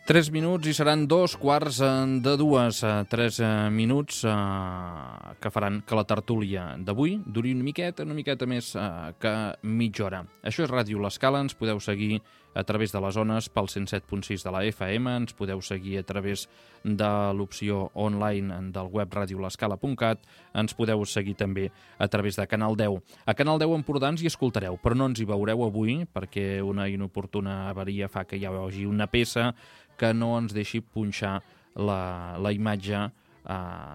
Tres minuts i seran 2:15. 3 minuts que faran que la tertúlia d'avui duri una miqueta més que mitja hora. Això és Ràdio L'Escala, ens podeu seguir a través de les ones pel 107.6 de la FM, ens podeu seguir a través de l'opció online del web radiolescala.cat, ens podeu seguir també a través de Canal 10. A Canal 10 Empordà ens hi escoltareu, però no ens hi veureu avui perquè una inoportuna avaria fa que hi hagi una peça que no ens deixi punxar la imatge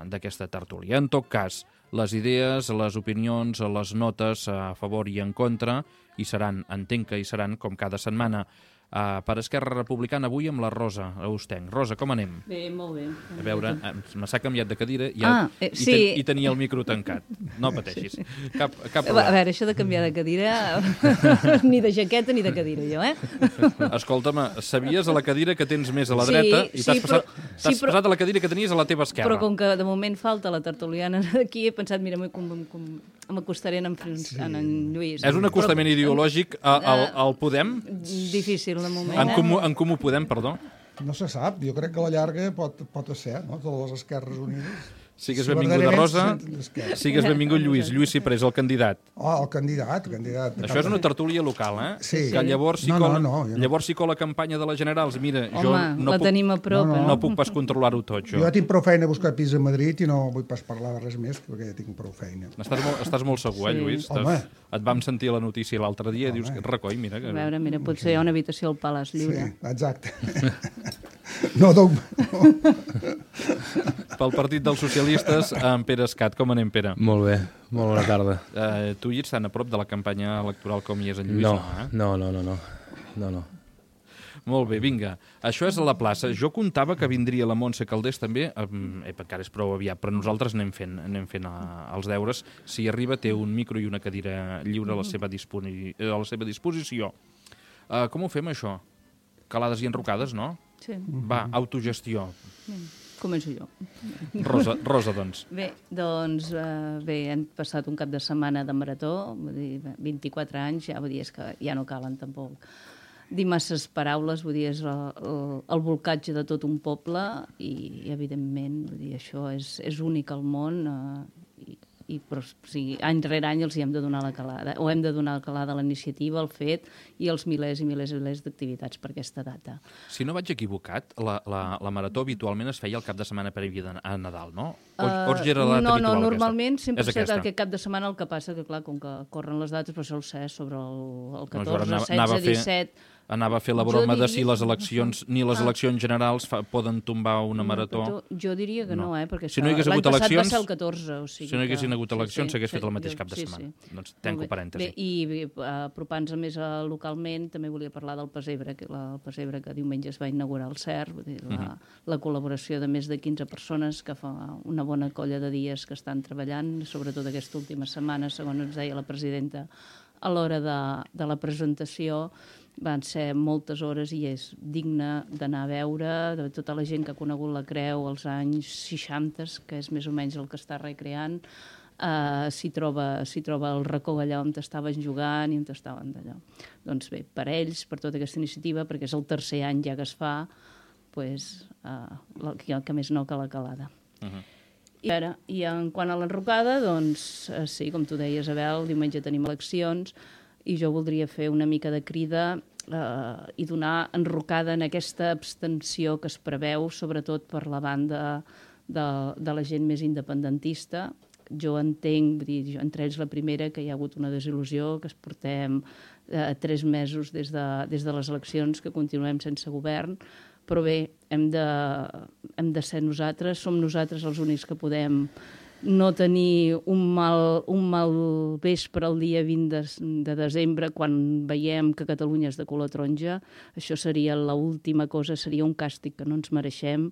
d'aquesta tertúlia. En tot cas, les idees, les opinions, les notes a favor i en contra hi seran, entenc que hi seran, com cada setmana. Per Esquerra Republicana avui amb la Rosa Austenc. Rosa, com anem? Bé, molt bé. A veure, s'ha canviat de cadira sí. i tenia el micro tancat. No pateixis. Cap problema. A veure, això de canviar de cadira, ni de jaqueta ni de cadira, jo, Escolta'm, sabies a la cadira que tens més a la dreta i t'has passat a la cadira que tenies a la teva esquerra. Però com que de moment falta la tertuliana d'aquí, he pensat, mira, m'acostaré en Lluís. És un acostament ideològic al Podem? Difícil, de moment. En Comú Podem, perdó? No se sap, jo crec que a la llarga pot ser, no? Totes les Esquerres Unides. Sigues benvinguda, Rosa. Sigues benvingut, Lluís. Lluís Ciprés, el candidat. El candidat. Això és una tertúlia local, Sí. Que llavors si cola la campanya de les generals. Mira, jo la tenim a prop. No puc pas controlar-ho tot, jo. Jo tinc prou feina a buscar pis a Madrid i no vull pas parlar de res més, perquè ja tinc prou feina. Estàs molt segur, Lluís? Et vam sentir a la notícia l'altre dia, dius que recoi, mira. A veure, potser hi ha una habitació al Palaç Lliure. Sí, exacte. No. Pel Partit dels Socialistes, en Pere Escat. Com anem, Pere? Molt bé, molt bona tarda. Tu hi ets tan a prop de la campanya electoral com hi és en Lluís? No. Molt bé, vinga. Això és a la plaça. Jo comptava que vindria la Montse Calders també, encara és prou aviat, però nosaltres anem fent els deures. Si arriba, té un micro i una cadira lliure a la seva disposició. Com ho fem, això? Calades i enrocades, no? Sí. Va, autogestió. Començo jo. Rosa, doncs. Bé, hem passat un cap de setmana de marató, vull dir, 24 anys, ja, vull dir, és que ja no calen tampoc dir masses paraules, vull dir, és el volcatge de tot un poble i evidentment, vull dir, això és únic al món però, any rere any els hi hem de donar la calada, o hem de donar la calada a la iniciativa, al fet, i els milers i milers d'activitats per aquesta data. Si no vaig equivocat, la marató habitualment es feia el cap de setmana previ a Nadal, no? O era la data habitual? No, normalment sempre és aquest cap de setmana, el que passa que, clar, com que corren les dates, però sol ser sobre el 14, 16, 17... Anava a fer la broma de si les eleccions, ni les eleccions generals poden tombar una marató. Jo diria que no, perquè si no hi hagués l'any hagut passat eleccions, va ser el 14. O sigui si no hi haguessin hagut eleccions, s'hagués fet el mateix cap de setmana. Doncs tanco parèntesi. I apropant-se més localment, també volia parlar del Pessebre, el Pessebre que diumenge es va inaugurar al CER, la col·laboració de més de 15 persones que fa una bona colla de dies que estan treballant, sobretot aquesta última setmana, segons ens deia la presidenta, a l'hora de la presentació. Van ser moltes hores i és digne d'anar a veure, de tota la gent que ha conegut la Creu als anys 60, que és més o menys el que està recreant, s'hi troba el racó allà on estaven jugant i on estaven d'allò. Doncs bé, per ells, per tota aquesta iniciativa, perquè és el tercer any ja que es fa, que més no que la calada. I en quant a l'enrocada, doncs sí, com tu deies, Abel, diumenge tenim eleccions, i jo voldria fer una mica de crida i donar enrocada en aquesta abstenció que es preveu, sobretot per la banda de la gent més independentista. Jo entenc, entre ells la primera, que hi ha hagut una desil·lusió, que es portem 3 mesos des de les eleccions, que continuem sense govern, però bé, hem de ser nosaltres, som nosaltres els únics que podem no tenir un mal vespre el dia 20 de desembre quan veiem que Catalunya és de color taronja. Això seria l'última cosa, seria un càstig que no ens mereixem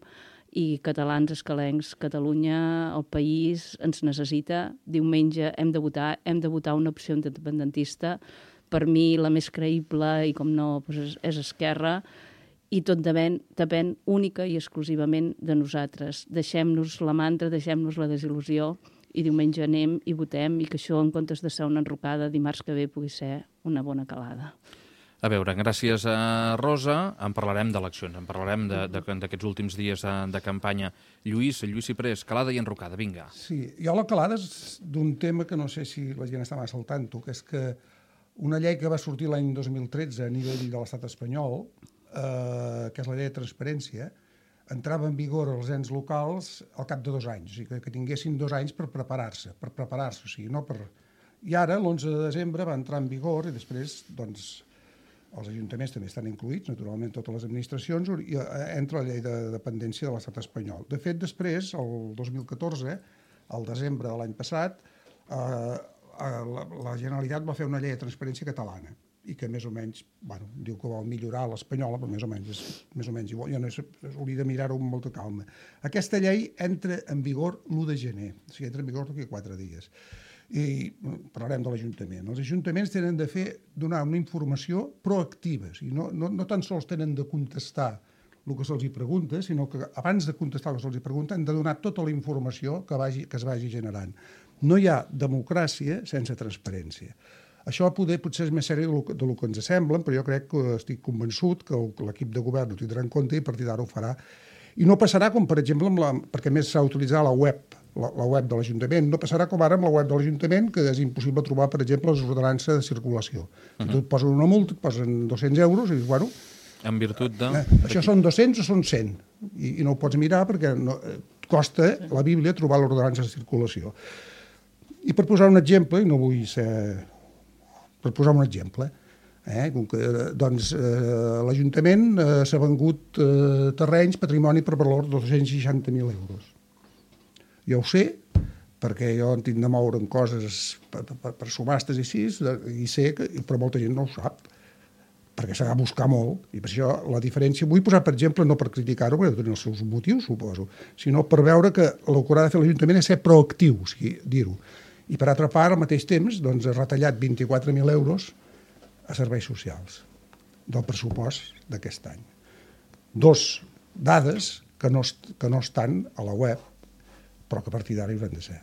i catalans, escalencs, Catalunya, el país ens necessita. Diumenge hem de votar una opció independentista. Per mi la més creïble i com no és Esquerra, i tot depèn única i exclusivament de nosaltres. Deixem-nos la mantra, deixem-nos la desil·lusió i diumenge anem i votem, i que això, en comptes de ser una enrocada, dimarts que ve pugui ser una bona calada. A veure, gràcies a Rosa, en parlarem d'eleccions, en parlarem d'aquests últims dies de campanya. Lluís Ciprés, calada i enrocada, vinga. Sí, jo la calada és d'un tema que no sé si la gent està massa al tanto, que és que una llei que va sortir l'any 2013 a nivell de l'estat espanyol, que és la llei de transparència, entrava en vigor als ens locals al cap de 2 anys, o sigui que tinguessin 2 anys per preparar-se, o sigui, no per... I ara, l'11 de desembre, va entrar en vigor i després, doncs, els ajuntaments també estan incluïts, naturalment totes les administracions, i entra la llei de dependència de l'estat espanyol. De fet, després, el 2014, al desembre de l'any passat, la Generalitat va fer una llei de transparència catalana, i que més o menys, bueno, diu que vol millorar l'espanyola, però més o menys és més o menys igual, ja no hauria de mirar-ho amb molta calma. Aquesta llei entra en vigor l'1 de gener, o sigui, entra en vigor d'aquí 4 dies. I parlarem de l'Ajuntament. Els ajuntaments tenen de donar una informació proactiva, o sigui, no tan sols tenen de contestar el que se'ls pregunta, sinó que abans de contestar el que se'ls pregunta han de donar tota la informació que es vagi generant. No hi ha democràcia sense transparència. Això potser és més sèrio del que ens sembla, però jo crec que estic convençut que l'equip de govern ho tindrà en compte i a partir d'ara ho farà. I no passarà com, per exemple, perquè més s'ha utilitzat la web de l'Ajuntament, no passarà com ara amb la web de l'Ajuntament, que és impossible trobar, per exemple, les ordenances de circulació. Si tu et posen una multa, et posen 200 euros, i dius, bueno... En virtut de... Això són 200 o són 100? I no ho pots mirar perquè costa la Bíblia trobar l'ordenança de circulació. I per posar un exemple, i no vull ser... Per posar un exemple, doncs l'Ajuntament s'ha vengut terrenys, patrimoni per valor de 260.000 euros. Jo ho sé, perquè jo en tinc de moure en coses per subhastes i així, i sé que, però molta gent no ho sap, perquè s'ha de buscar molt, i per això la diferència... Vull posar, per exemple, no per criticar-ho, perquè tenen els seus motius, suposo, sinó per veure que el que haurà de fer l'Ajuntament és ser proactiu, o sigui, dir-ho. I per altra part, al mateix temps, doncs, ha retallat 24.000 euros a serveis socials del pressupost d'aquest any. 2 dades que no estan a la web, però que a partir d'ara hi hauran de ser.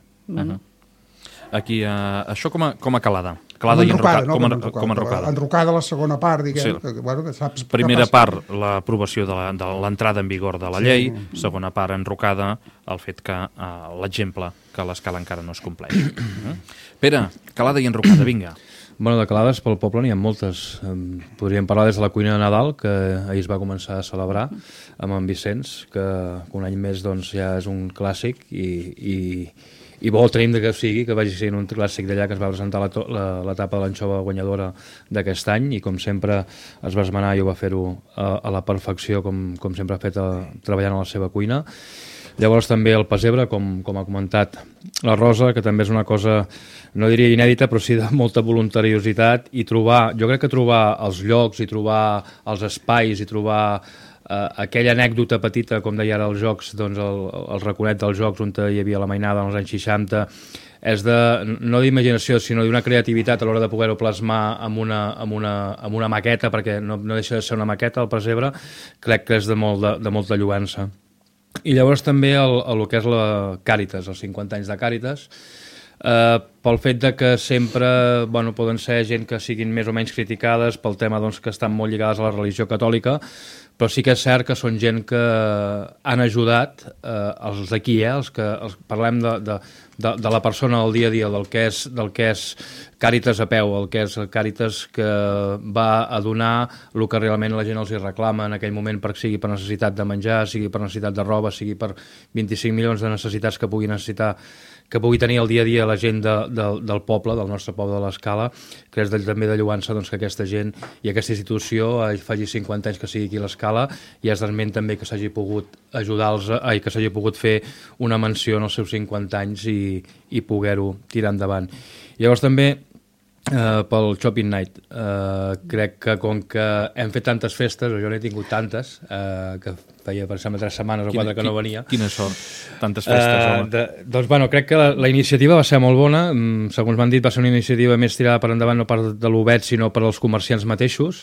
Aquí, això com a calada. Calada i enrocada. Com enrocada. Enrocada la segona part, diguem. Sí. Que saps Primera part, l'aprovació de l'entrada en vigor de la llei. Segona part, enrocada, el fet que l'exemple que l'escala encara no es compleix. Pere, calada i enrocada, vinga. Bueno, de calades pel poble n'hi ha moltes. Podríem parlar des de la cuina de Nadal, que ahir es va començar a celebrar amb en Vicenç, que un any més doncs, ja és un clàssic i bo tenim que sigui, que vagi sent un clàssic d'allà, que es va presentar l'etapa de l'anxova guanyadora d'aquest any, i com sempre es va esmenar i ho va fer-ho a la perfecció, com sempre ha fet treballant a la seva cuina. Llavors també el pessebre, com ha comentat la Rosa, que també és una cosa, no diria inèdita, però sí de molta voluntariositat, i jo crec que trobar els llocs i trobar els espais i trobar aquella anècdota petita, com deia ara els jocs, doncs el raconet dels jocs on hi havia la mainada als anys 60, és no d'imaginació, sinó d'una creativitat a l'hora de poder-ho plasmar amb una maqueta, perquè no deixa de ser una maqueta, el pessebre, crec que és de molta lluança. I llavors també el que és la Càritas, els 50 anys de Càritas, pel fet de que sempre poden ser gent que siguin més o menys criticades pel tema que estan molt lligades a la religió catòlica, però sí que és cert que són gent que han ajudat els d'aquí, els que parlem de la persona del dia a dia, del que és Càritas a peu, el que és Càritas que va a donar el que realment la gent els hi reclama en aquell moment, sigui per necessitat de menjar, sigui per necessitat de roba, sigui per 25 milions de necessitats que pugui tenir el dia a dia la gent del poble, del nostre poble de l'Escala, que és també de lluança que aquesta gent i aquesta institució faci 50 anys que sigui aquí a l'Escala, i és d'esment també que s'hagi pogut ajudar-los, que s'hagi pogut fer una menció en els seus 50 anys i poder-ho tirar endavant. Llavors també pel Shopping Night, crec que com que hem fet tantes festes, o jo n'he tingut tantes, que feia per sembla 3 setmanes o 4 que no venia. Quina sort, tantes festes, home. Doncs crec que la iniciativa va ser molt bona, segons m'han dit va ser una iniciativa més tirada per endavant no per de l'Obet sinó per als comerciants mateixos,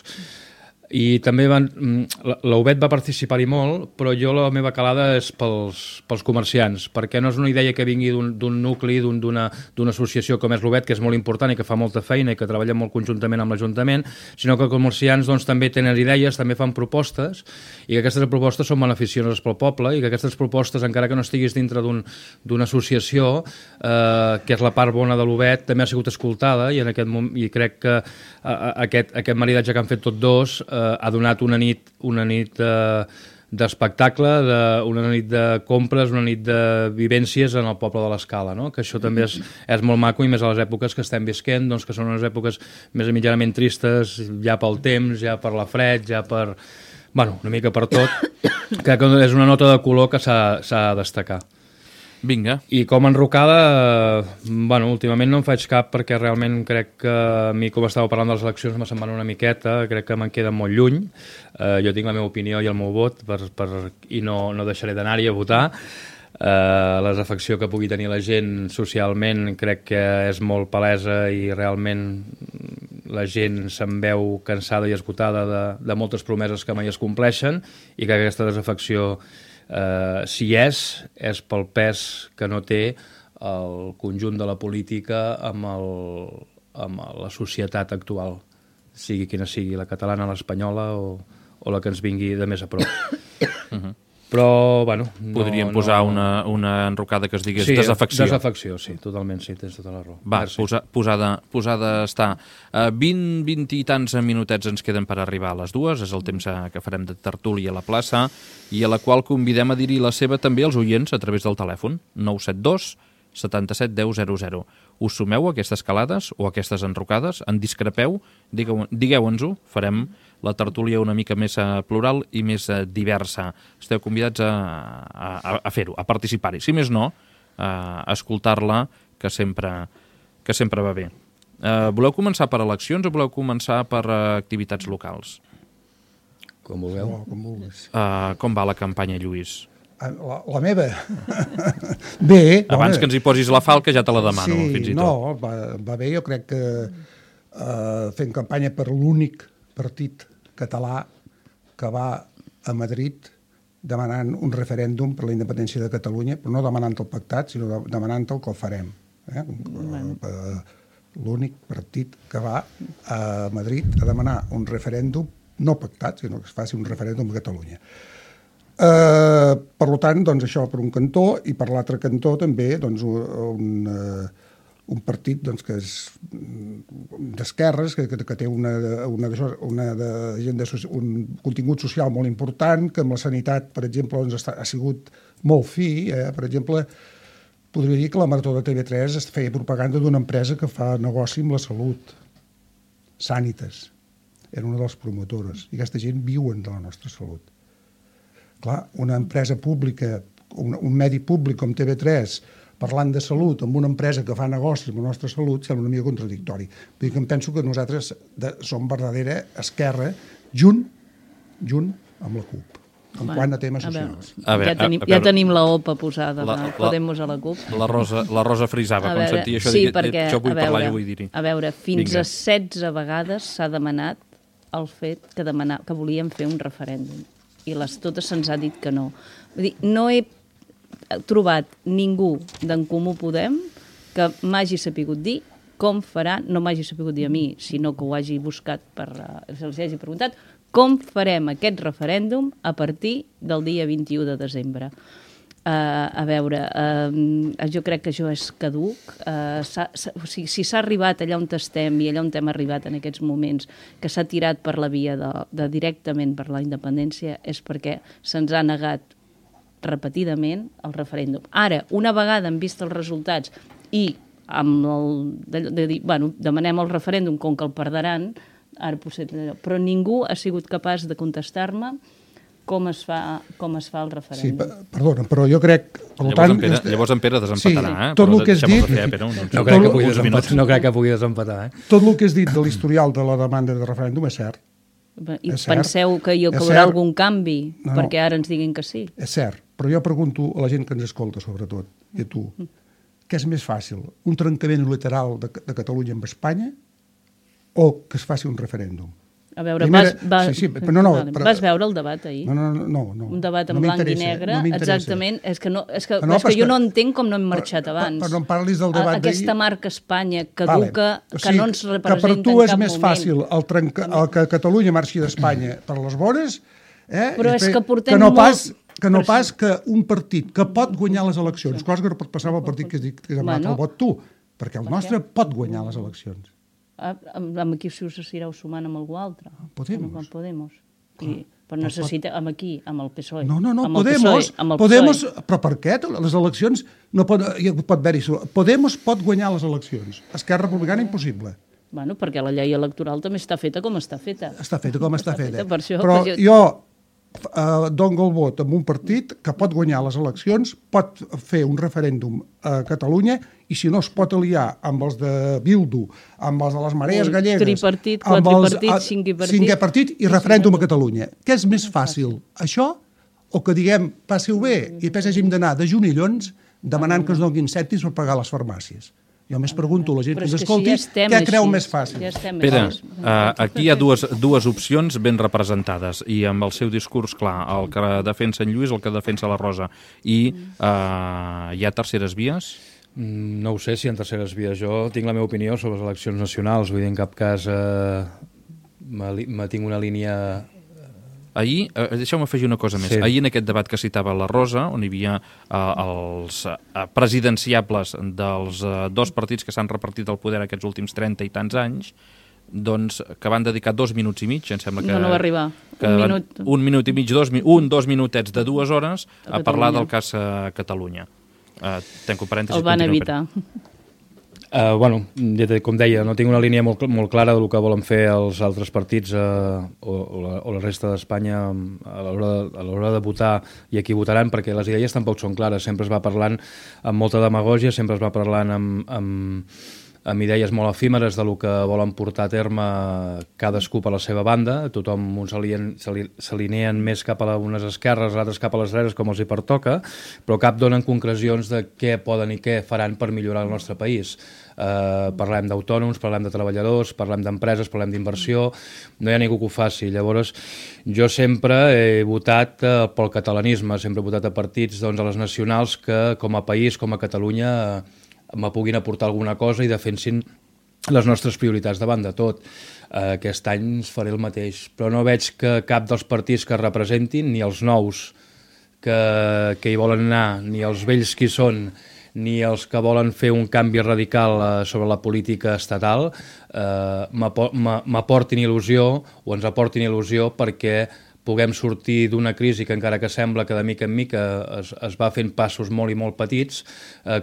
I també l'UBET va participar-hi molt, però jo la meva calada és pels comerciants, perquè no és una idea que vingui d'un nucli, d'una associació com és l'UBET, que és molt important i que fa molta feina i que treballa molt conjuntament amb l'Ajuntament, sinó que els comerciants doncs, també tenen idees, també fan propostes, i que aquestes propostes són beneficioses pel poble, i que aquestes propostes, encara que no estiguis dintre d'una associació, que és la part bona de l'UBET, també ha sigut escoltada, i crec que aquest maridatge que han fet tots dos ha donat una nit d'espectacle, una nit de compres, una nit de vivències en el poble de l'Escala, no? Que això també és molt maco, i més a les èpoques que estem visquent, doncs, que són unes èpoques més mitjanament tristes, ja pel temps, ja per la fred, ja per... Bueno, una mica per tot, que és una nota de color que s'ha de destacar. Vinga. I com a enrocada, últimament no en faig cap, perquè realment crec que a mi, com estava parlant de les eleccions, me se'n van una miqueta, crec que me'n queda molt lluny. Jo tinc la meva opinió i el meu vot, i no deixaré d'anar-hi a votar. La desafecció que pugui tenir la gent socialment crec que és molt palesa, i realment la gent se'n veu cansada i esgotada de moltes promeses que mai es compleixen, i que aquesta desafecció, si és pel pes que no té el conjunt de la política amb la societat actual, sigui quina sigui, la catalana, l'espanyola o la que ens vingui de més a prop. Però, podríem posar una enrocada que es digués desafecció. Desafecció, sí, totalment, sí, tens tota la raó. Va, posada està. 20 i tants minutets ens queden per arribar a les 2, és el temps que farem de tertúlia a la plaça, i a la qual convidem a dir-hi la seva també als oients a través del telèfon, 972 77 10 00. Us sumeu a aquestes calades o a aquestes enrocades? En discrepeu? Digueu-nos-ho, farem la tertúlia una mica més plural i més diversa. Esteu convidats a fer-ho, a participar-hi. Si més no, a escoltar-la, que sempre va bé. Voleu començar per eleccions o voleu començar per activitats locals? Com vulgueu. Com vulguis. Com va la campanya, Lluís? La meva? Bé. Abans que ens hi posis la falca ja te la demano, fins i tot. No, va bé. Jo crec que fent campanya per l'únic partit català que va a Madrid demanant un referèndum per la independència de Catalunya, però no demanant el pactat, sinó demanant el que el farem. L'únic partit que va a Madrid a demanar un referèndum no pactat, sinó que es faci un referèndum a Catalunya. Per tant, doncs, això per un cantó, i per l'altre cantó també doncs, un partit doncs, que és d'esquerres, que té un contingut social molt important, que amb la sanitat, per exemple, doncs, ha sigut molt fi. Per exemple, podria dir que la Marató de TV3 es feia propaganda d'una empresa que fa negoci amb la salut, Sanitas. Era una de les promotores, i aquesta gent viuen de la nostra salut. Clar, una empresa pública, un medi públic com TV3, parlant de salut amb una empresa que fa negocis amb la nostra salut, sembla una mica contradictori. Vull dir que em penso que nosaltres som verdadera esquerra junt amb la CUP, en quant a temes socials. Ja tenim la OPA posada de Podemos a la CUP. La Rosa frisava, quan sentia això, això vull parlar i vull dir-hi. A veure, fins a 16 vegades s'ha demanat el fet que volíem fer un referèndum, i totes se'ns ha dit que no. Vull dir, no he trobat ningú d'en Comú Podem que m'hagi sapigut dir com farà, no m'hagi sapigut dir a mi, sinó que ho hagi buscat, se'ls hagi preguntat, com farem aquest referèndum a partir del dia 21 de desembre. A veure, jo crec que això és caduc. Si s'ha arribat allà on estem i allà on hem arribat en aquests moments, que s'ha tirat per la via de directament per la independència, és perquè se'ns ha negat repetidament el referèndum. Ara, una vegada hem vist els resultats i demanem el referèndum com que el perdran, ara potser, però ningú ha sigut capaç de contestar-me com es fa el referèndum. Sí, perdona, però jo crec... Llavors en Pere desempatarà. Tot el que has dit... No crec que pugui desempatar. Tot el que has dit de l'historial de la demanda de referèndum és cert. I penseu que hi haurà algun canvi perquè ara ens diguin que sí? És cert, però jo pregunto a la gent que ens escolta, sobretot, i a tu, què és més fàcil? Un trencament unilateral de Catalunya amb Espanya o que es faci un referèndum? A veure, vas veure el debat ahir? No. Un debat en blanc i negre, exactament. És que jo no entenc com no hem marxat abans. Però no em parlis del debat d'ahir. Aquesta marca Espanya caduca, que no ens representa en cap moment. Que per tu és més fàcil que Catalunya marxi d'Espanya per les vores, però és que portem molt... que no pas que un partit que pot guanyar les eleccions, cosa que no pot passar amb el partit que has demanat el vot tu, perquè el nostre pot guanyar les eleccions. Amb qui s'ireu sumant amb algú altre? Podemos. Però necessita amb aquí, amb el PSOE. No, Podemos, però per què? Les eleccions no pot haver-hi... Podemos pot guanyar les eleccions. Esquerra Republicana, impossible. Bueno, perquè la llei electoral també està feta com està feta. Està feta com està feta. Però jo dono el vot amb un partit que pot guanyar les eleccions, pot fer un referèndum a Catalunya i si no es pot aliar amb els de Bildu, amb els de les marees gallegues, tripartit, quadripartit, cinquè partit i referèndum a Catalunya. Què és més fàcil? Això o que diguem passeu bé i després hàgim d'anar de junillons demanant que ens donin cèntims per pagar les farmàcies? Jo més pregunto a la gent que ens escolti què creu més fàcil. Pere, aquí hi ha dues opcions ben representades i amb el seu discurs clar, el que defensa en Lluís, el que defensa la Rosa. I hi ha terceres vies? No ho sé si hi ha terceres vies. Jo tinc la meva opinió sobre les eleccions nacionals. Vull dir, en cap cas tinc una línia... Ahir, deixeu-me afegir una cosa més. Sí. Ahir en aquest debat que citava la Rosa, on hi havia els presidenciables dels dos partits que s'han repartit el poder aquests últims 30 i tants anys, doncs, que van dedicar 2 minuts i mig, em sembla que... No va arribar. Un minut i mig, dos minutets de 2 hores a parlar del cas Catalunya. Tanco parèntesis. El van evitar. Com deia, no tinc una línia molt clara del que volen fer els altres partits o la resta d'Espanya a l'hora de votar i a qui votaran, perquè les idees tampoc són clares. Sempre es va parlant amb molta demagògia, sempre es va parlant amb idees molt efímeres del que volen portar a terme cadascú per la seva banda. Tothom s'alineen més cap a unes esquerres, altres cap a les dretes, com els hi pertoca, però cap donen concrecions de què poden i què faran per millorar el nostre país. Parlem d'autònoms, parlem de treballadors, parlem d'empreses, parlem d'inversió, no hi ha ningú que ho faci. Llavors, jo sempre he votat pel catalanisme, sempre he votat a partits, doncs, a les nacionals que com a país, com a Catalunya, me puguin aportar alguna cosa i defensin les nostres prioritats davant de tot. Aquest any faré el mateix, però no veig que cap dels partits que representin, ni els nous que hi volen anar, ni els vells que hi són, ni els que volen fer un canvi radical sobre la política estatal, m'aportin il·lusió o ens aportin il·lusió perquè puguem sortir d'una crisi que encara que sembla que de mica en mica es va fent passos molt i molt petits,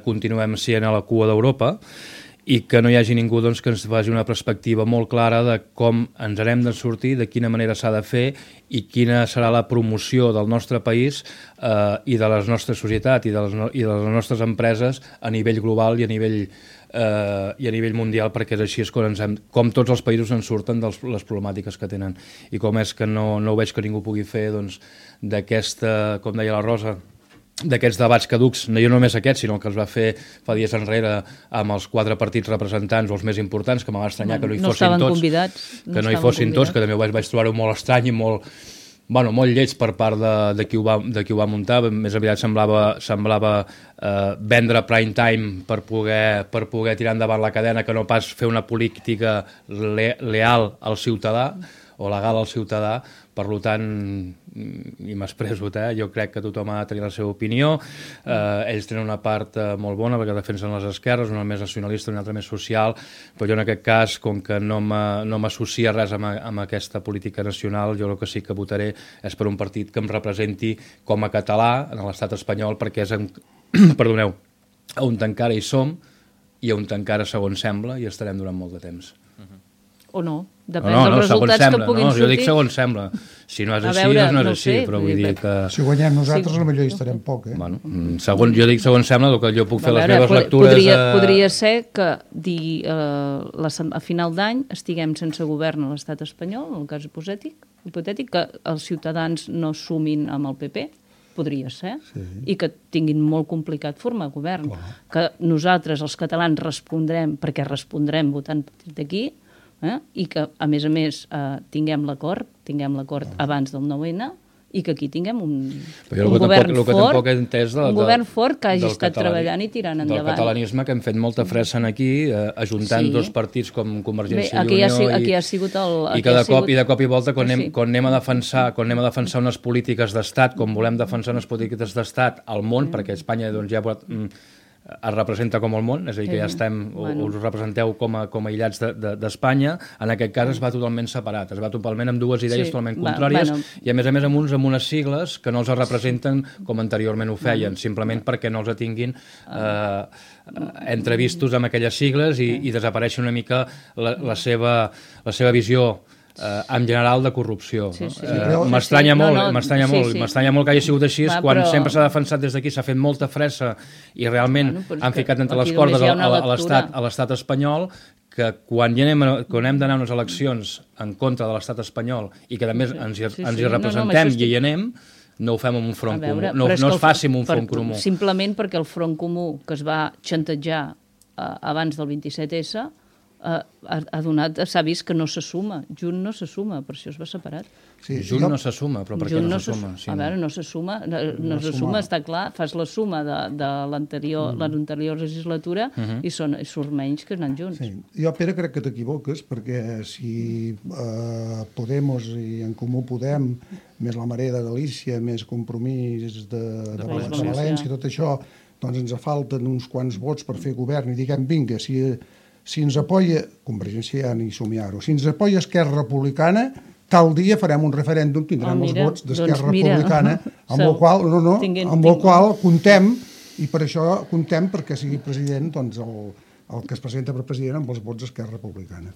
continuem sent a la cua d'Europa i que no hi hagi ningú doncs, que ens faci una perspectiva molt clara de com ens n'hem de sortir, de quina manera s'ha de fer i quina serà la promoció del nostre país i de la nostra societat i de les nostres empreses a nivell global i a nivell mundial, perquè és així com tots els països en surten de les problemàtiques que tenen. I com és que no veig que ningú pugui fer d'aquesta, com deia la Rosa, d'aquests debats caducs, no només aquest, sinó el que es va fer fa dies enrere amb els 4 partits representants o els més importants, que m'ha estranyar que no hi fossin tots, que no hi fossin tots, que també vaig trobar-ho molt estrany i molt lleig per part de qui ho va muntar. Més aviat semblava vendre prime time per poder tirar endavant la cadena, que no pas fer una política leal al ciutadà o legal al ciutadà. Per tant, i m'expreso, jo crec que tothom ha de tenir la seva opinió. Ells tenen una part molt bona perquè defensen les esquerres, una més nacionalista, una altra més social, però jo en aquest cas, com que no m'associa res amb aquesta política nacional, jo el que sí que votaré és per un partit que em representi com a català en l'estat espanyol, perquè és on encara hi som i on encara, segons sembla, hi estarem durant molt de temps. O no, depèn dels resultats que puguin sortir. Jo dic segons sembla. Si no és així, no és així, però vull dir que... Si guanyem nosaltres, potser hi estarem poc, Jo dic segons sembla, que jo puc fer les meves lectures... Podria ser que a final d'any estiguem sense govern a l'estat espanyol, en el cas hipotètic, que els ciutadans no sumin amb el PP, podria ser, i que tinguin molt complicat formar govern. Que nosaltres, els catalans, respondrem, perquè respondrem votant d'aquí, i que, a més, tinguem l'acord abans del 9-N, i que aquí tinguem un govern fort que hagi estat treballant i tirant endavant. Del catalanisme, que hem fet molta fressa aquí, ajuntant dos partits com Convergència i Unió, i de cop i volta, quan anem a defensar unes polítiques d'estat, com volem defensar unes polítiques d'estat al món, perquè Espanya ja es representa com el món, és a dir, que ja estem, us representeu com a aïllats d'Espanya, en aquest cas es va totalment separat, es va totalment amb dues idees totalment contràries, i a més amb unes sigles que no els representen com anteriorment ho feien, simplement perquè no els tinguin entrevistos amb aquelles sigles i desapareixen una mica la seva visió en general de corrupció. M'estranya molt que hagi sigut així, quan sempre s'ha defensat des d'aquí, s'ha fet molta fressa i realment han ficat entre les cordes a l'estat espanyol, que quan hem d'anar a unes eleccions en contra de l'estat espanyol i que a més ens hi representem i hi anem, no ho fem amb un front comú, no es faci amb un front comú. Simplement perquè el front comú que es va xantatjar abans del 27S s'ha vist que no s'assuma. Junt no s'assuma, per això es va separat. Junt no s'assuma, però per què no s'assuma? A veure, no s'assuma, està clar, fas la suma de l'anterior legislatura i surt menys que anant junts. Jo, Pere, crec que t'equivoques, perquè si Podemos i En Comú Podem, més la Marea de Galícia, més Compromís de València, tot això, doncs ens falten uns quants vots per fer govern i diguem, vinga, si ens apoya Convergència ja ni somiar-ho, si ens apoya Esquerra Republicana, tal dia farem un referèndum, tindrem els vots d'Esquerra Republicana, amb el qual contem, i per això contem perquè sigui president el que es presenta per president amb els vots d'Esquerra Republicana.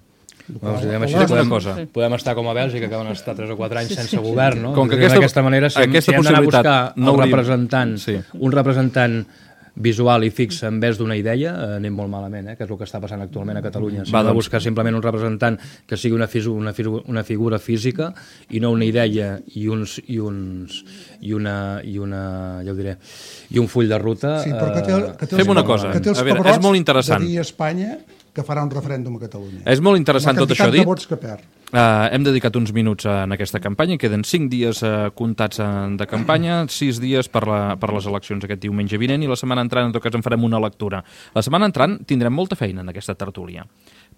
Podem estar com a Bèlgica, que van estar 3 o 4 anys sense govern, no? D'aquesta manera, si hem d'anar a buscar un representant visual i fix en vez d'una idea, anem molt malament, que és el que està passant actualment a Catalunya. S'ha de buscar simplement un representant que sigui una figura física i no una idea i un full de ruta. Fem una cosa, a veure, és molt interessant. De dir a Espanya que farà un referèndum a Catalunya. És molt interessant tot això dit. La quantitat de vots que perd. Hem dedicat uns minuts en aquesta campanya, queden 5 dies comptats de campanya, 6 dies per les eleccions aquest diumenge vinent, i la setmana entrant, en tot cas, en farem una lectura. La setmana entrant tindrem molta feina en aquesta tertúlia,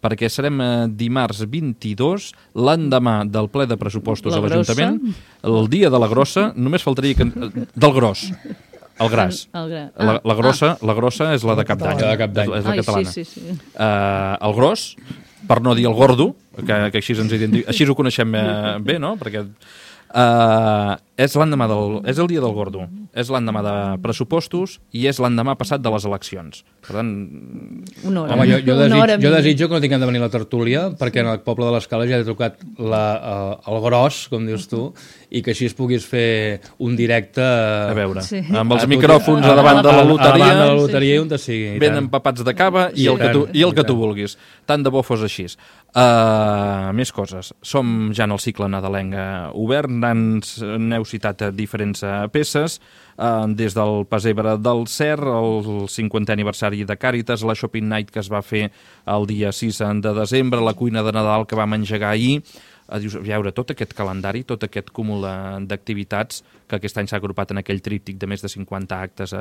perquè serem dimarts 22, l'endemà del ple de pressupostos a l'Ajuntament, el dia de la grossa, només faltaria que... del gros. El gras. La grossa és la de cap d'any. És la catalana. El gros, per no dir el gordo, que així ho coneixem bé, no? Perquè és el dia del gordo, és l'endemà de pressupostos i és l'endemà passat de les eleccions. Per tant... Jo desitjo que no tinguem de venir a la tertúlia, perquè en el poble de l'Escala ja he trucat el gros, com dius tu, i que així es puguis fer un directe... A veure, amb els micròfons davant de la loteria... Davant de la loteria i on te sigui. Ben empapats de cava i el que tu vulguis. Tant de bo fos així. Més coses. Som ja en el cicle nadalenc obert, n'heu citat diferents peces, des del Pessebre del Cer, el 50è aniversari de Càritas, la Shopping Night que es va fer el dia 6 de desembre, la cuina de Nadal que vam engegar ahir. Dius, a veure, tot aquest calendari, tot aquest cúmul d'activitats que aquest any s'ha agrupat en aquell tríptic de més de 50 actes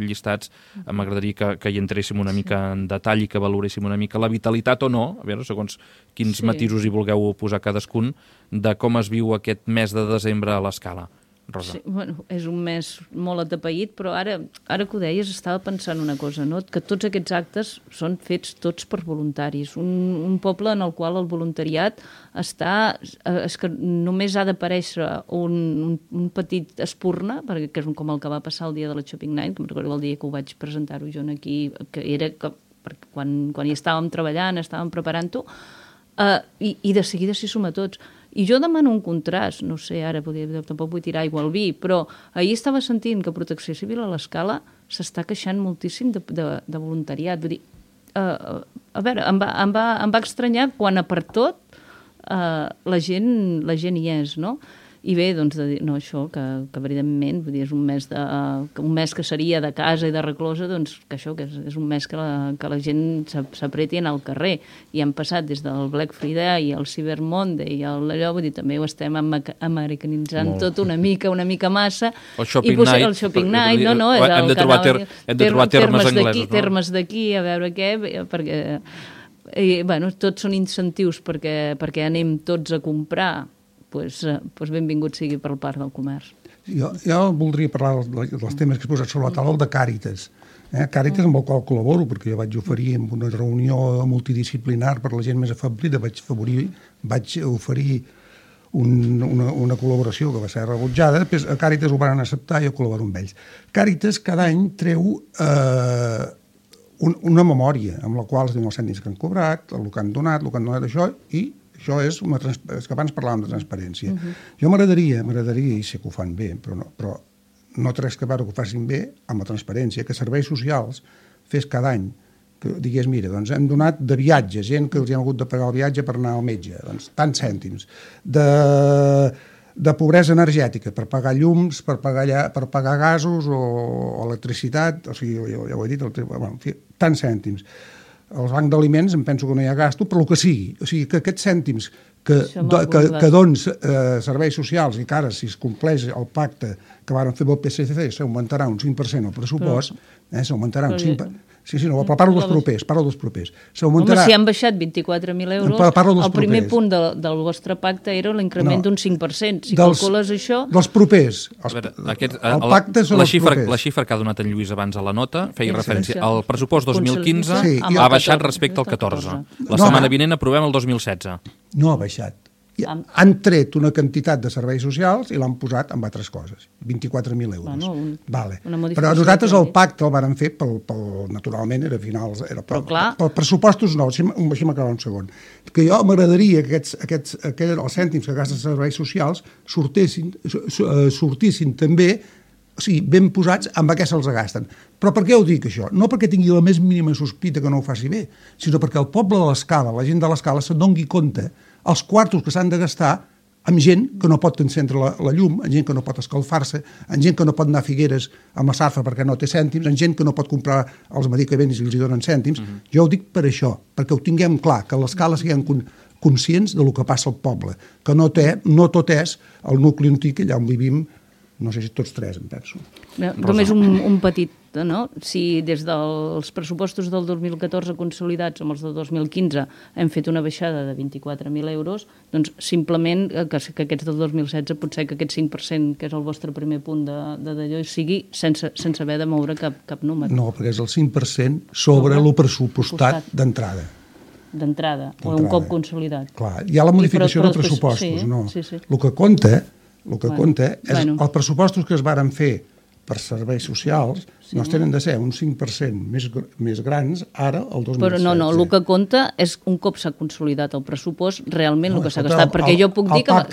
llistats, m'agradaria que hi entréssim una mica en detall i que valoréssim una mica la vitalitat o no, a veure, segons quins matisos hi vulgueu posar cadascun, de com es viu aquest mes de desembre a l'Escala. Rosa. Sí, bueno, és un mes molt atapeït, però ara que ho deies estava pensant una cosa, no? Que tots aquests actes són fets tots per voluntaris. Un poble en el qual el voluntariat és que només ha d'aparèixer un petit espurna, perquè és com el que va passar el dia de la Shopping Night, que em recordo el dia que ho vaig presentar-ho jo aquí, que era perquè quan hi estàvem treballant, estàvem preparant-ho, i de seguida s'hi suma tots. I jo demano un contrast, no sé, ara tampoc vull tirar aigua al vi, però ahir estava sentint que Protecció Civil a l'Escala s'està queixant moltíssim de voluntariat. Vull dir, a veure, em va estranyar quan per tot la gent hi és, no? I bé, doncs, no, això, que evidentment, vull dir, és un mes que seria de casa i de reclosa, doncs, que això, que és un mes que la gent s'apreti a anar al carrer. I han passat des del Black Friday i el Cyber Monday i allò, vull dir, també ho estem americanitzant tot una mica massa. El Shopping Night. El Shopping Night, no, és hem de trobar termes anglesos, no? Termes d'aquí, a veure què, perquè, bueno, tots són incentius perquè anem tots a comprar, doncs benvingut sigui per part del comerç. Jo voldria parlar dels temes que has posat sobre la taula, el de Càritas. Càritas amb el qual col·laboro, perquè jo vaig oferir en una reunió multidisciplinar per la gent més afablida, vaig oferir una col·laboració que va ser rebutjada, després a Càritas ho van acceptar i jo col·laboro amb ells. Càritas cada any treu una memòria amb la qual es diuen els cèntims que han cobrat, el que han donat això, i això és que abans parlàvem de transparència. Jo m'agradaria, i sé que ho fan bé, però no té res que veure que ho facin bé amb la transparència, que serveis socials fes cada any, que digués, mira, doncs hem donat de viatge, gent que els hem hagut de pagar el viatge per anar al metge, doncs tants cèntims, de pobresa energètica, per pagar llums, per pagar gasos o electricitat, o sigui, ja ho he dit, en fi, tants cèntims. Al banc d'aliments em penso que no hi ha gasto, però el que sigui. O sigui, que aquests cèntims que dons serveis socials i que ara, si es compleix el pacte que varen fer amb el PSC, s'augmentarà un 5% el pressupost, s'augmentarà un 5%. Sí, no, parlo dels propers. Home, si han baixat 24.000 euros, el primer punt del vostre pacte era l'increment d'un 5%. Si calcules això... Dels propers. El pacte són els propers. La xifra que ha donat en Lluís abans a la nota feia referència al pressupost 2015 ha baixat respecte al 14. La setmana vinent aprovem el 2016. No ha baixat. Han tret una quantitat de serveis socials i l'han posat en altres coses. 24.000 euros. Però nosaltres el pacte el vàrem fer, naturalment, era finals... Per pressupostos no, deixa'm acabar un segon. Que jo m'agradaria que els cèntims que gasten serveis socials sortissin també, o sigui, ben posats amb què se'ls gasten. Però per què ho dic, això? No perquè tingui la més mínima sospita que no ho faci bé, sinó perquè el poble de l'Escala, la gent de l'Escala, se'n doni compte els quartos que s'han de gastar amb gent que no pot encendre la llum, amb gent que no pot escalfar-se, amb gent que no pot anar a Figueres amb la Sarfa perquè no té cèntims, amb gent que no pot comprar els medicaments i els hi donen cèntims. Jo ho dic per això, perquè ho tinguem clar, que a l'Escala siguem conscients del que passa al poble, que no tot és el nucli antic allà on vivim, no sé si tots tres, em penso. Només un petit, no? Si des dels pressupostos del 2014 consolidats amb els del 2015 hem fet una baixada de 24.000 euros, doncs simplement que aquests del 2016 potser que aquest 5%, que és el vostre primer punt d'allò, sigui sense haver de moure cap número. No, perquè és el 5% sobre el pressupostat d'entrada. D'entrada, o un cop consolidat. Clar, hi ha la modificació de pressupostos, no? El que compta és els pressupostos que es varen fer per serveis socials no es tenen de ser un 5% més grans ara, el 2016. Però no, el que compta és un cop s'ha consolidat el pressupost, realment el que s'ha gastat, perquè jo puc dir que... El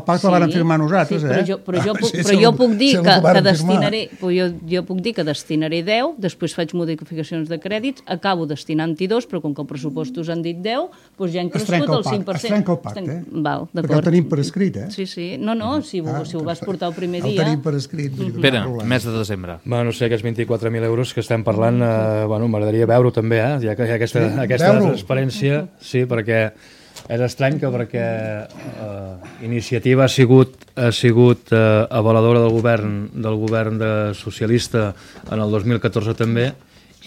pacte el van firmar nosaltres, però jo puc dir que destinaré, jo puc dir que destinaré 10, després faig modificacions de crèdits, acabo destinant-hi 2, però com que el pressupost us han dit 10, doncs ja han crescut el 5%. Es trenca el pacte, Val, d'acord. perquè el tenim per escrit, Sí, no, si ho vas portar el primer dia... El tenim per escrit. Pere, mes de desembre. No sé, aquests 24.000 euros que estem parlant, m'agradaria veure-ho també, ja que hi ha aquesta transparència, sí, perquè és estrany que perquè Iniciativa ha sigut avaladora del govern socialista en el 2014 també,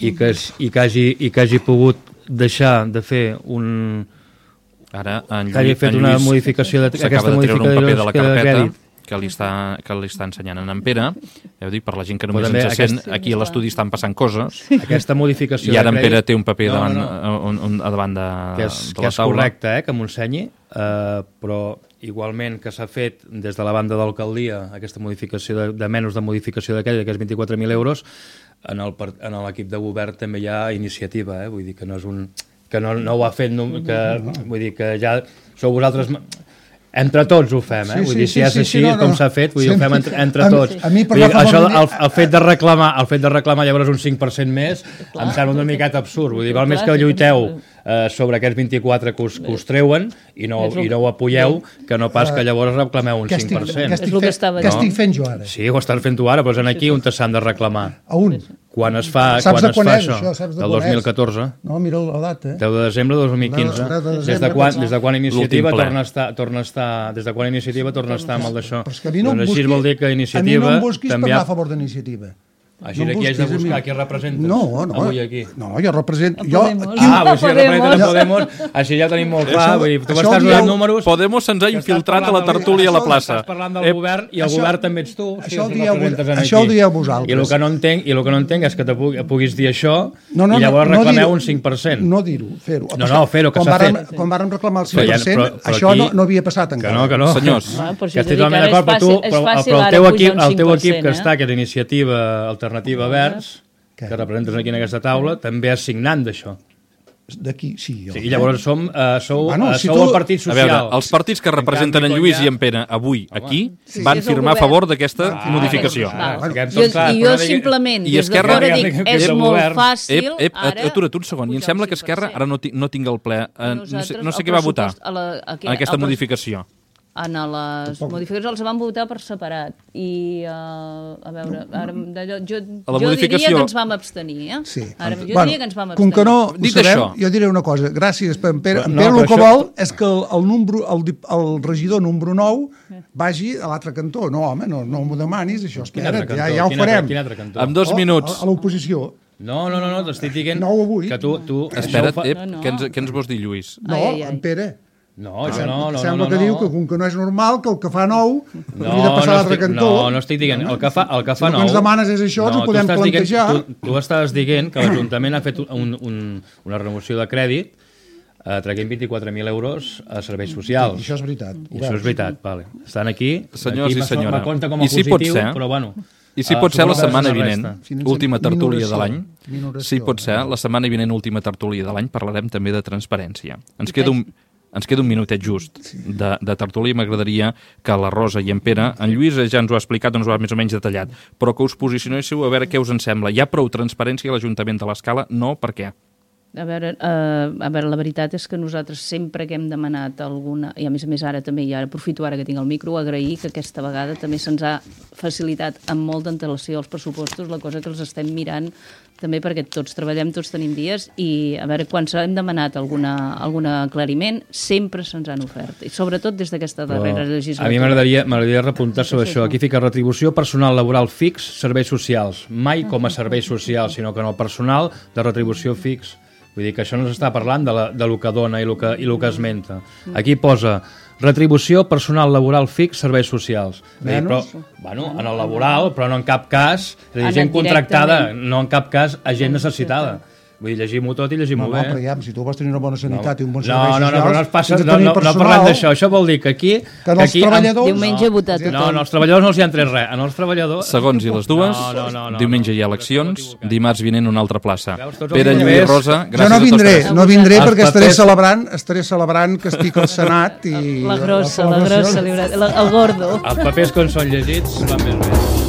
i que hagi pogut deixar de fer una modificació d'aquesta modificació de crèdit que li està ensenyant en Pere. Ja ho dic, per la gent que només ens sent, aquí a l'estudi estan passant coses. Aquesta modificació i ara en Pere té un paper davant de la taula. Que és correcte, que m'ho ensenyi, però igualment que s'ha fet des de la banda d'alcaldia aquesta modificació de menys de modificació d'aquests 24.000 euros, en l'equip de govern també hi ha iniciativa, vull dir que no és un... que no ho ha fet, vull dir que ja sou vosaltres... Entre tots ho fem, vull dir, si és així com s'ha fet, vull dir, ho fem entre tots. El fet de reclamar llavors un 5% més em sembla una miqueta absurd, vull dir, val més que lluiteu sobre aquests 24 que us treuen i no ho apoyeu, que no pas que llavors reclameu un 5%. Què estic fent jo ara? Sí, ho estàs fent tu ara, però és aquí on s'han de reclamar. A un? Quan es fa això? Del 2014. No, mira la data. 10 de desembre de 2015. Des de quan Iniciativa torna a estar amb el d'això? Doncs així vol dir que Iniciativa... A mi no em busquis per anar a favor d'Iniciativa. Així aquí has de buscar qui representes avui aquí. No, jo represento... Si representen a Podemos, així ja ho tenim molt clar. Tu m'estàs donant números... Podemos se'ns ha infiltrat a la tertúlia a la plaça. Estàs parlant del govern i el govern també ets tu. Això ho dieu vosaltres. I el que no entenc és que puguis dir això i llavors reclameu un 5%. No dir-ho, fer-ho. No, fer-ho, que s'ha fet. Quan vàrem reclamar el 5%, això no havia passat encara. Que no. Senyors. Que estic totalment d'acord, però el teu equip que està, que és Iniciativa Alternativa Verds, que representes aquí en aquesta taula, també és signant d'això. D'aquí, sí. I llavors sou el Partit Social. A veure, els partits que representen en Lluís i en Pere avui aquí van firmar a favor d'aquesta modificació. I jo simplement, des de fora dic, és molt fàcil... Atura't un segon, i em sembla que Esquerra ara no tinc el ple. No sé què va votar en aquesta modificació. En les modificacions els van votar per separat i a veure, jo diria que ens vam abstenir, Sí. Jo diria que ens vam abstenir. Com que no ho sabem, jo diré una cosa, gràcies per en Pere. En Pere el que vol és que el regidor número 9 vagi a l'altre cantó. No, home, no m'ho demanis, això, espera't, ja ho farem. En 2 minuts. A l'oposició. No, t'estic dient que tu... Espera't, què ens vols dir, Lluís? No, en Pere. No, això no. Sembla que diu que com que no és normal, que el que fa nou hauria de passar a l'altre cantó. No estic dient. El que fa nou... El que ens demanes és això, ens ho podem plantejar. Tu estàs dient que l'Ajuntament ha fet una renovació de crèdit traient 24.000 euros a serveis socials. Això és veritat. Això és veritat, vale. Estan aquí. Senyors i senyora. Me compta com a positiu, però bueno... I si pot ser la setmana vinent, última tertúlia de l'any, si pot ser la setmana vinent, última tertúlia de l'any, parlarem també de transparència. Ens queda un minutet just de tertúlia i m'agradaria que la Rosa i en Pere, en Lluís ja ens ho ha explicat, ens ho ha més o menys detallat, però que us posicionéssiu a veure què us en sembla. Hi ha prou transparència a l'Ajuntament de l'Escala? No, per què? A veure, la veritat és que nosaltres sempre que hem demanat alguna, i a més ara també, i ara aprofito ara que tinc el micro, agrair que aquesta vegada també se'ns ha facilitat amb molta antelació els pressupostos, la cosa que els estem mirant també perquè tots treballem, tots tenim dies, i a veure, quan hem demanat algun aclariment, sempre se'ns han ofert, i sobretot des d'aquesta darrera legislatura. A mi m'agradaria repuntar sobre això. Aquí fica retribució personal laboral fix, serveis socials. Mai com a serveis socials, sinó que en el personal de retribució fix. Vull dir que això no s'està parlant de lo que dona i lo que esmenta. Aquí posa retribució personal laboral fix, serveis socials. Però, en el laboral, però no en cap cas, gent contractada, no en cap cas a gent necessitada. Vull dir, llegim-ho tot i llegim-ho bé. No, però ja, si tu vols tenir una bona sanitat i un bon servei social... No parlem d'això. Això vol dir que aquí... Que els treballadors... Diumenge votar tothom. No, als treballadors no els hi han tret res. Els treballadors... Segons i les dues, diumenge hi ha eleccions, dimarts vinent una altra plaça. Pere, Lluís, Rosa, gràcies a tots. No vindré perquè estaré celebrant que estic al Senat i... La grossa, el gordo. Els papers, quan són llegits, van més bé.